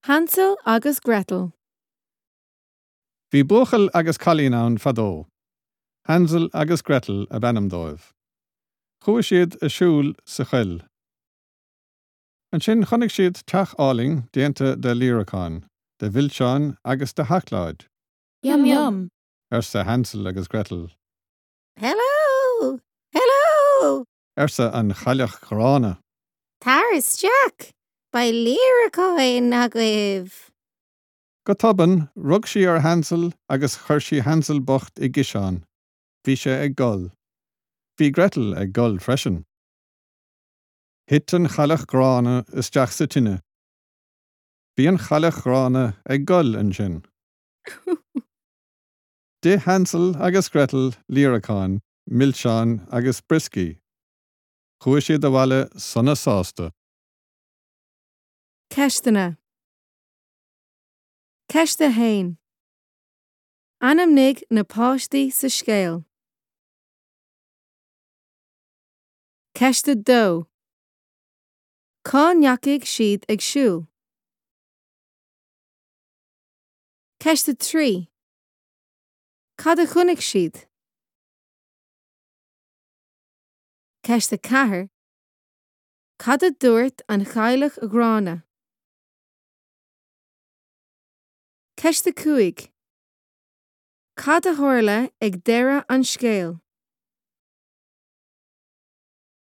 Hansel agus Gretel. Bhí buachaill agus cailín ann fadó. Hansel agus Gretel ab ainm dóibh. Chuaigh siad ag siúl sa choill. Ansin chonaic siad teach álainn déanta de líreacáin, de mhilseáin agus de sheacláid. Yum yum! arsa Hansel agus Gretel. Hello! Hello! arsa an chailleach ghránna. Tar isteach! Beidh líreacáin agaibh! Go tobann, rug sí ar Hansel agus chuir sí Hansel bocht i gciseán. Bhí sé ag gol. Bhí Gretel ag gol freisin. Thit an chailleach ghránna isteach sa tine. Bhí an chailleach ghránna ag gol ansin. D'ith Hansel agus Gretel líreacáin, milseáin agus brioscaí. Chuaigh siad abhaile sona sásta. Ceisteanna. Ceist 1. Ainmnigh na páistí sa scéal. Ceist 2. Cá ndeachaigh siad ag siúl? Ceist 3. Cad a chonaic siad? Ceist 4. Cad a dúirt an chailleach ghránna? Ceist 5. Cad a tharla ag deireadh an scéil?